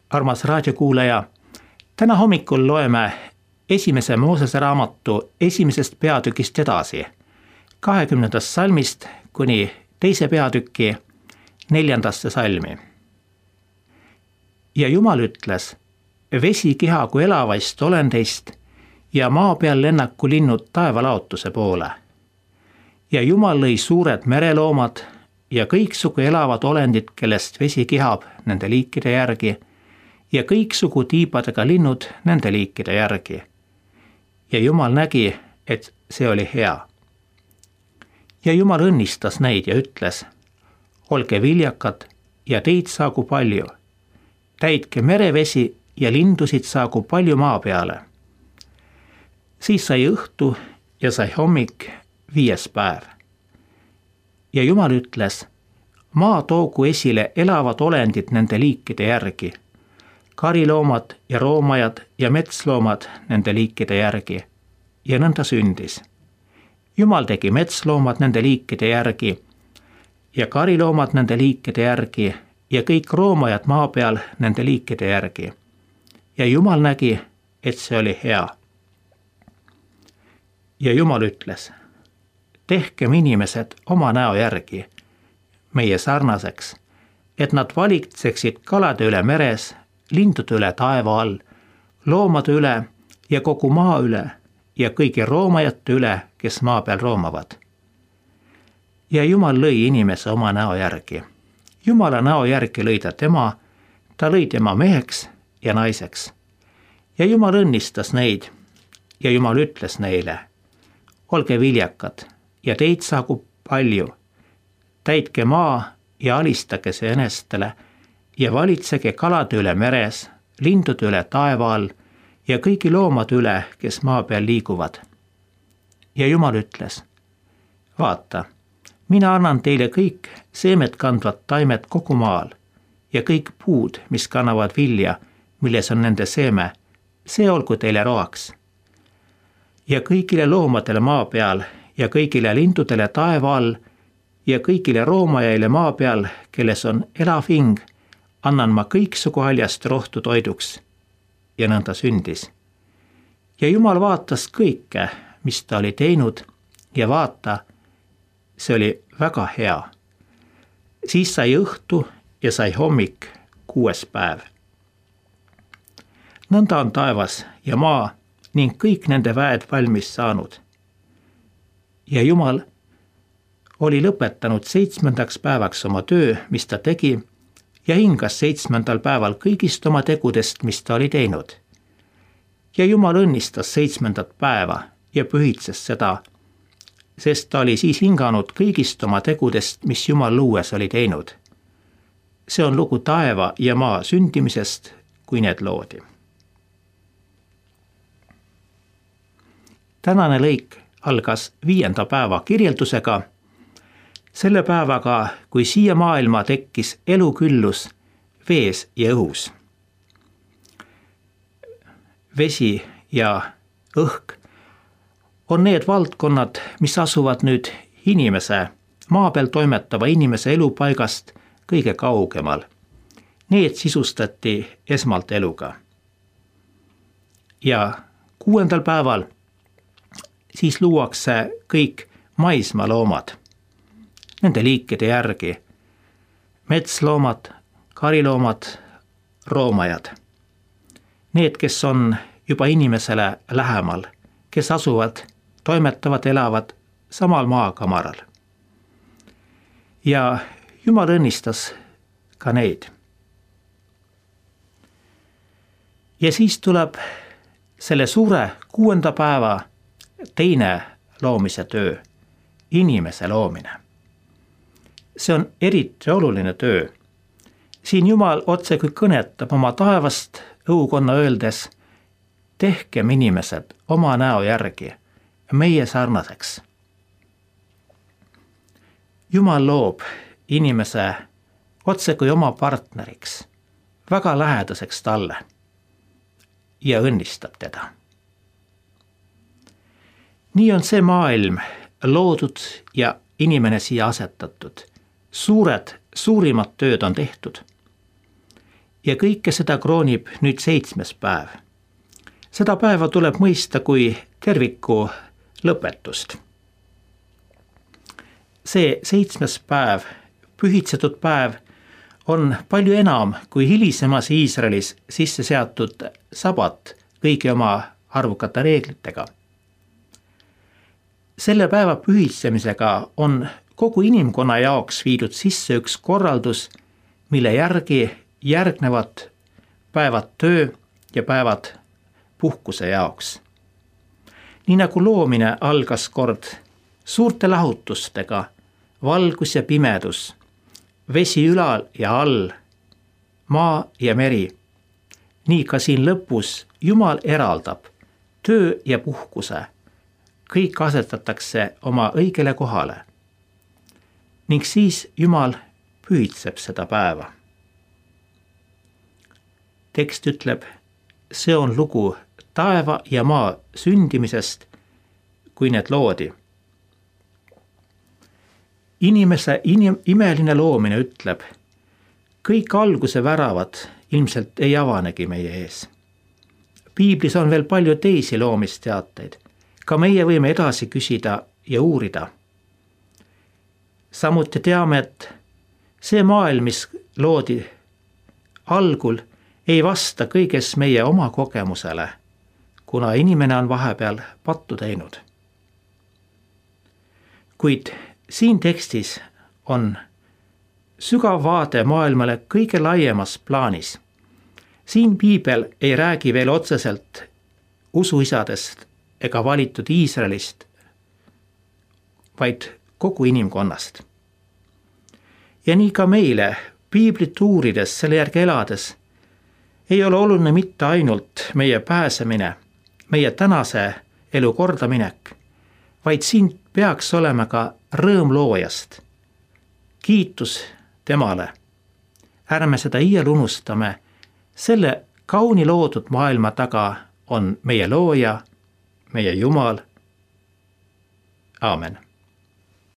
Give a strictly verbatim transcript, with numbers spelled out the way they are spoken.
Armas raadiokuulaja, täna hommikul loeme esimese Moosese raamatu esimesest peatükist edasi, kahekümnendast salmist kuni teise peatüki neljandasse salmi. Ja Jumal ütles, vesi kihagu elavaist olendeist ja maa peal lennaku linnud taevalaotuse poole. Ja Jumal lõi suured mereloomad ja kõiksugu elavad olendid, kellest vesi kihab nende liikide järgi, ja kõiksugu tiibadega linnud nende liikide järgi. Ja Jumal nägi, et see oli hea. Ja Jumal õnnistas neid ja ütles, olge viljakad ja teid saagu palju. Täitke merevesi ja lindusid saagu palju maa peale. Siis sai õhtu ja sai hommik viies päev. Ja Jumal ütles, maa toogu esile elavad olendid nende liikide järgi, kariloomad ja roomajad ja metsloomad nende liikide järgi, ja nõnda sündis. Jumal tegi metsloomad nende liikide järgi ja kariloomad nende liikide järgi ja kõik roomajad maa peal nende liikide järgi. Ja Jumal nägi, et see oli hea. Ja Jumal ütles, tehkem inimesed oma näo järgi, meie sarnaseks, et nad valitseksid kalade üle meres, lindude üle taeva all, loomade üle ja kogu maa üle ja kõigi roomajate üle, kes maa peal roomavad. Ja Jumal lõi inimese oma näo järgi. Jumala näo järgi lõi ta tema, ta lõi tema meheks ja naiseks. Ja Jumal õnnistas neid ja Jumal ütles neile, olge viljakad ja teid saagu palju, täitke maa ja alistage see enestele ja valitsege kalade üle meres, lindude üle taeva all ja kõigi loomade üle, kes maa peal liiguvad. Ja Jumal ütles, vaata, mina annan teile kõik seemet kandvad taimed kogu maal ja kõik puud, mis kannavad vilja, milles on nende seeme, see olgu teile roaks. Ja kõigile loomadele maa peal ja kõigile lindudele taeva all ja kõigile roomajaile maa peal, kelles on elav hing, annan ma kõiksugu haljast rohtu toiduks. Ja nõnda sündis. Ja Jumal vaatas kõike, mis ta oli teinud, ja vaata, see oli väga hea. Siis sai õhtu ja sai hommik kuues päev. Nõnda on taevas ja maa ning kõik nende väed valmis saanud. Ja Jumal oli lõpetanud seitsmendaks päevaks oma töö, mis ta tegi, ja hingas seitsmendal päeval kõigist oma tegudest, mis ta oli teinud. Ja Jumal õnnistas seitsmendat päeva ja pühitses seda, sest ta oli siis hinganud kõigist oma tegudest, mis Jumal luues oli teinud. See on lugu taeva ja maa sündimisest, kui need loodi. Tänane lõik algas viienda päeva kirjeldusega, selle päevaga, kui siia maailma tekkis eluküllus vees ja õhus. Vesi ja õhk on need valdkonnad, mis asuvad nüüd inimese, maa peal toimetava inimese elupaigast kõige kaugemal. Need sisustati esmalt eluga. Ja kuuendal päeval siis luuakse kõik maismaa loomad, nende liikide järgi, metsloomad, kariloomad, roomajad. Need, kes on juba inimesele lähemal, kes asuvad, toimetavad, elavad samal maakamaral. Ja Jumal õnnistas ka neid. Ja siis tuleb selle suure kuuenda päeva teine loomise töö, inimese loomine. See on eriti oluline töö. Siin Jumal otse kui kõnetab oma taevast õukonna öeldes, tehkem inimesed oma näo järgi, meie sarnaseks. Jumal loob inimese otse kui oma partneriks, väga lähedaseks talle ja õnnistab teda. Nii on see maailm loodud ja inimene siia asetatud. Suured, suurimad tööd on tehtud. ja kõike seda kroonib nüüd seitsmes päev. Seda päeva tuleb mõista kui terviku lõpetust. See seitsmes päev, pühitsetud päev, on palju enam kui hilisemas Iisraelis sisse seatud sabat kõigi oma arvukate reeglitega. Selle päeva pühitsemisega on kogu inimkonna jaoks viidud sisse üks korraldus, mille järgi järgnevad päevad töö ja päevad puhkuse jaoks. Nii nagu loomine algas kord suurte lahutustega, valgus ja pimedus, vesi ülal ja all, maa ja meri. Nii ka siin lõpus Jumal eraldab töö ja puhkuse. Kõik asetatakse oma õigele kohale. Ning siis Jumal pühitseb seda päeva. Tekst ütleb, see on lugu taeva ja maa sündimisest, kui need loodi. Inimese inim- imeline loomine ütleb, kõik alguse väravad ilmselt ei avanegi meie ees. Piiblis on veel palju teisi loomisteateid. Ka meie võime edasi küsida ja uurida. Samuti teame, et see maailm, mis loodi algul, ei vasta kõiges meie oma kogemusele, kuna inimene on vahepeal pattu teinud. Kuid siin tekstis on sügav vaade maailmale kõige laiemas plaanis. Siin Piibel ei räägi veel otseselt usuisadest ega valitud Iisraelist, vaid kogu inimkonnast. Ja nii ka meile, Piiblit uurides, selle järgi elades, ei ole oluline mitte ainult meie pääsemine, meie tänase elu kordaminek, vaid siin peaks olema ka rõõm loojast. Kiitus temale. Ärme seda iial unustame. Selle kauni loodud maailma taga on meie looja, meie Jumal. Aamen.